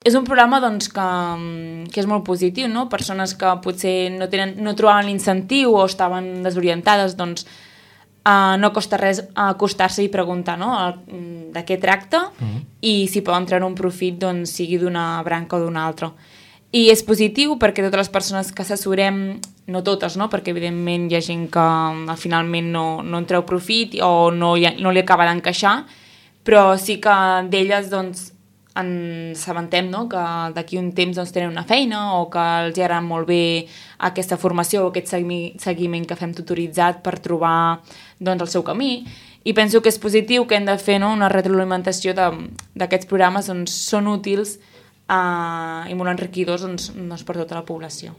És un programa doncs, que és molt positiu, no? Persones que potser no trobaven l'incentiu o estaven desorientades, doncs no costa res acostar-se i preguntar, no? De què tracta i si poden treure un profit, doncs, sigui d'una branca o d'una altra. I és positiu perquè totes les persones que assessorem, no totes, no? Perquè evidentment hi ha gent que finalment no en treu profit o no li acaba d'encaixar, però sí que d'elles doncs, ens assabentem, no? Que d'aquí un temps doncs, tenen una feina o que els agrada molt bé aquesta formació o aquest seguiment que fem tutoritzat per trobar doncs, el seu camí. I penso que és positiu que hem de fer, no? Una retroalimentació d'aquests programes on són útils i molt enriquidors doncs, per tota la població.